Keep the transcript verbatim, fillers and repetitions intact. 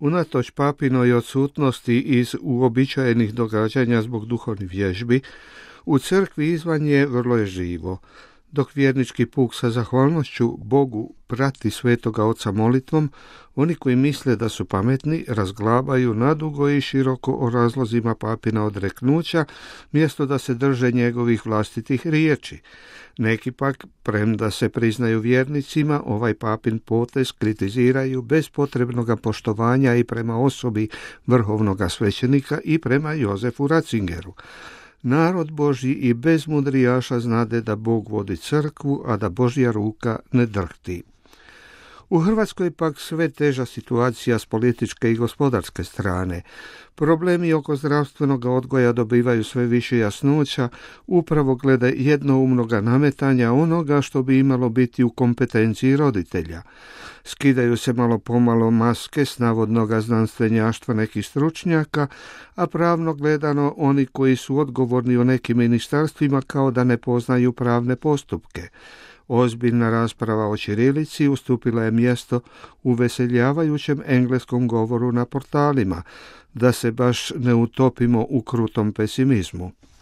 Unatoč papinoj odsutnosti iz uobičajenih događanja zbog duhovnih vježbi, u crkvi izvan je vrlo je živo. Dok vjernički puk sa zahvalnošću Bogu prati Svetoga Oca molitvom, oni koji misle da su pametni razglabaju nadugo i široko o razlozima papina odreknuća, mjesto da se drže njegovih vlastitih riječi. Neki pak, premda se priznaju vjernicima, ovaj papin potez kritiziraju bez potrebnog poštovanja i prema osobi vrhovnoga svećenika i prema Jozefu Ratzingeru. Narod Božji i bez mudrijaša znade da Bog vodi crkvu, a da Božja ruka ne drhti. U Hrvatskoj pak sve teža situacija s političke i gospodarske strane. Problemi oko zdravstvenog odgoja dobivaju sve više jasnoća, upravo glede jednoumnoga nametanja onoga što bi imalo biti u kompetenciji roditelja. Skidaju se malo pomalo maske s navodnoga znanstvenjaštva nekih stručnjaka, a pravno gledano oni koji su odgovorni u nekim ministarstvima kao da ne poznaju pravne postupke. Ozbiljna rasprava o ćirilici ustupila je mjesto uveseljavajućem engleskom govoru na portalima, da se baš ne utopimo u krutom pesimizmu.